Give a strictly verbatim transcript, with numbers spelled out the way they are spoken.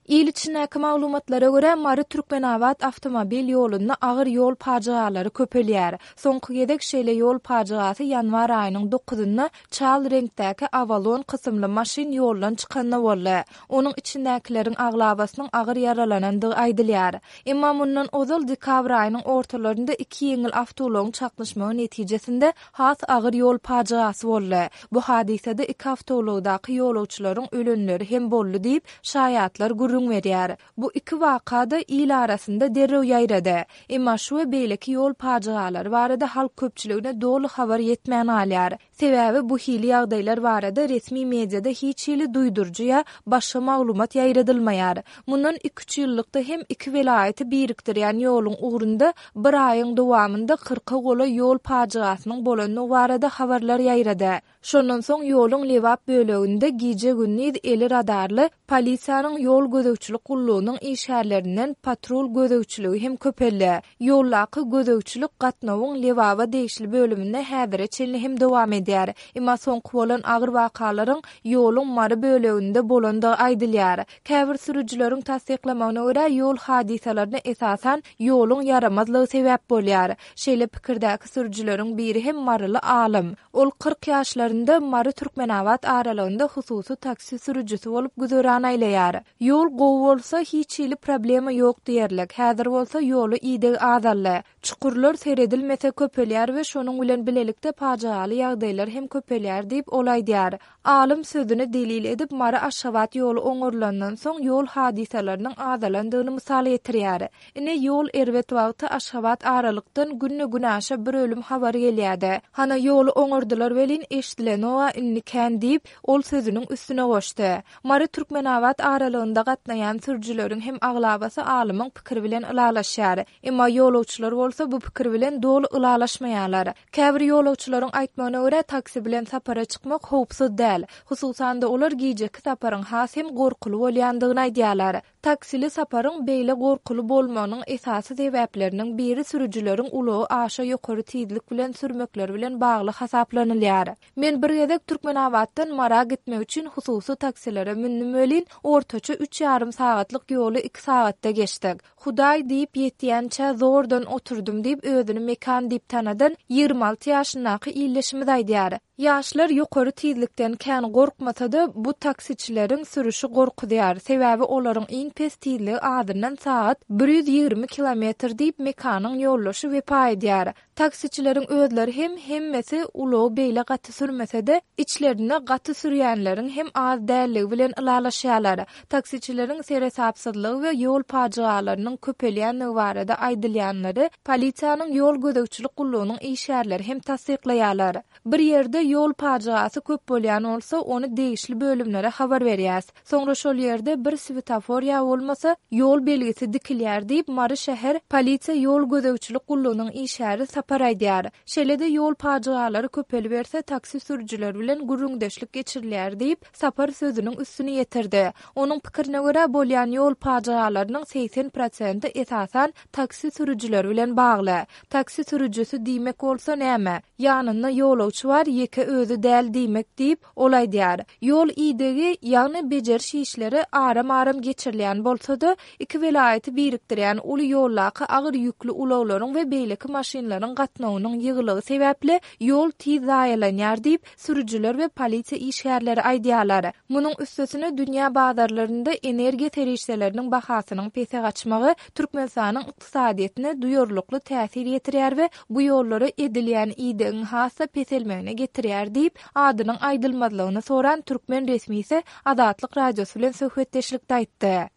Il içindäki maglumatlara görä, Mary-Türkmenabat awtomobil ýolunda agyr ýol pajygalary köpelýär. Soňky gezek şeýle ýol pajygasy ýanwar aýynyň dokuzynda çal reňkdäki Avalon kysymly maşyn ýoldan çykanda boldy. Onuň içindäkileriň aglabasynyň agyr ýaralanandygy aýdylýar. Emma mundan ozal dekabr aýynyň ortalarynda iki ýeňil awtoulagyň çaknyşmagy netijesinde has agyr ýol pajygasy boldy. Bu hadysada iki awtoulagdaky ýolagçylaryň ölenleri hem boldy diýip, şaýatlar gürrüň berýär. Bu iki waka-da il arasynda derrew ýaýrady. Emma şu we beýleki ýol pajygalary barada halk köpçüligine doly habar ýetmän galýar. Sebäbi bu hili ýagdaýlar barada resmi mediada hiç hili duýduryjy ýa başga maglumat ýaýradylmaýar. Mundan iki-üç ýyllykda hem iki welaýaty birikdirýän ýoluň ugrunda bir aýyň dowamynda kyrka golaý ýol pajygasynyň bolandygy barada habarlar ýaýrady. Şondan soň ýoluň Lebap böleginde gije-gündiz eli radarly polisiýanyň ýol gözegçilik gullugynyň işgärlerinden patrul gözegçiligi hem köpeldi. Ýoldaky gözegçilik gatnawyň Lebaba degişli bölüminde häzire çenli hem dowam edýär. Emma soňky bolan agyr wakalaryň ýoluň Mary böleginde bolandygy aýdylýar. Käbir sürüjileriň tassyklamagyna görä, ýol hadysalaryna esasan ýoluň ýaramazlygy sebäp bolýar. Şeýle pikirdäki sürüjileriň biri hem maryly alym. Ol kyrk ýaşlarynda Mary-Türkmenabat aralygynda hususy taksi sürüjisi bolup güzeran aýlaýar. Ýol gowy bolsa hiç hili problema ýok diýerlik. Häzir bolsa ýola ideg azaldy. Çukurlar seredilmese köpelýär we şonuň bilen bilelikde pajygaly ýagdaýlar hem köpelýär diýip, ol aýdýar. Alym sözüni delil edip, Mary-Aşgabat ýoly oňarylandan soň ýol hadysalarynyň azalandygyny mysal getirýär. Ine, ýol erbet wagty Aşgabat aralykdan günde-günaşa bir ölüm habary gelýärdi. Hana, ýoly oňardylar welin, eşidilenoga indi kän diýip, ol sözüniň üstüne goşdy. Mary-Türkmenabat aralygynda gatnaýan sürüjileriň hem aglabasy alymyň pikiri bilen ylalaşýar. Emma ýolagçylar bolsa bu pikir bilen doly ylalaşmaýarlar. Käbir ýolagçylaryň aýtmagyna görä, taksi bilen sapara çykmak howpsuz däl. Hususan-da, olar gijeki saparyň has hem gorkuly bolýandygyny aýdýarlar. Taksili saparyň beýle gorkuly bolmagynyň esasy sebäpleriniň biri sürüjileriň ulagy aşa ýokary tizlik bilen sürmekleri bilen bagly hasaplanylýar. Men bir gezek Türkmenabatdan Mara gitmek üçin hususy taksilere mündüm welin, ortaça üç ýarym sagatlyk ýoly iki sagatda geçdik. Hudaý diýip ýetýänçä zordan oturdym diýip, özüni Mekan diýip tanadan ýigrimi alty ýaşyndaky ildeşimiz aýdýar. Ýaşlar ýokary tizlikden kän gorkmasa-da, bu taksiçileriň sürüşi gorkuzýar. Sebäbi olaryň iň pes tizligi azyndan sagat bir ýüz ýigrimi kilometr diýip, Mekanyň ýoldaşy Wepa aýdýar. Taksiçileriň özleri hem hemmesi ulagy beýle gaty sürmese-de, içlerinde gaty sürýänleriň hem az dälligi bilen ylalaşýarlar. Taksiçileriň seresapsyzlygy we ýol pajygalarynyň köpelýändigi barada aýdylýanlary polisiýanyň ýol gözegçilik gullugynyň işgärleri hem tassyklaýarlar. Bir ýerde ýol pajygasy köp bolýan bolsa, ony degişli bölümlere habar berýäs. Soňra şol ýerde bir swetofor ýa bolmasa ýol belgisi dikilýär diýip, Mary şäher polisiýa ýol gözegçilik gullugynyň işgäri Sapar aýdýar. Şeýle-de ýol pajygalary köpeliberse, taksi sürüjileri bilen gürrüňdeşlik geçirilýär diýip, Sapar sözüniň üstüni ýetirdi. Onuň pikirine görä, bolýan ýol pajygalarynyň segsen prosenti esasan taksi sürüjileri bilen bagly. Taksi sürüjisi diýmek bolsa näme? Ýanynda ýolagçy bar, ýeke özi däl diýmek diýip, ol aýdýar. Ýol idegi, ýagny bejeriş işleri aram-aram geçirilýän bolsa-da, iki welaýaty birikdirýän uly ýoldaky agyr ýükli ulaglaryň we beýleki maşynlaryň gatnawynyň ýygylygy sebäpli ýol tiz zaýalanýar diýip, sürüjiler we polisiýa işgärleri aýdýarlar. Munuň üstesine dünýä bazarlarynda energiýa serişdeleriniň bahasynyň pese gaçmagy Türkmenistanyň ykdysadyýetine duýarlykly täsir ýetirýär we bu ýollara edilýän idegiň has-da peselmegine getirýär diýip, adynyň aýdylmazlygyny soran türkmen resmisi Azatlyk Radiosy bilen söhbetdeşlikde aýtdy.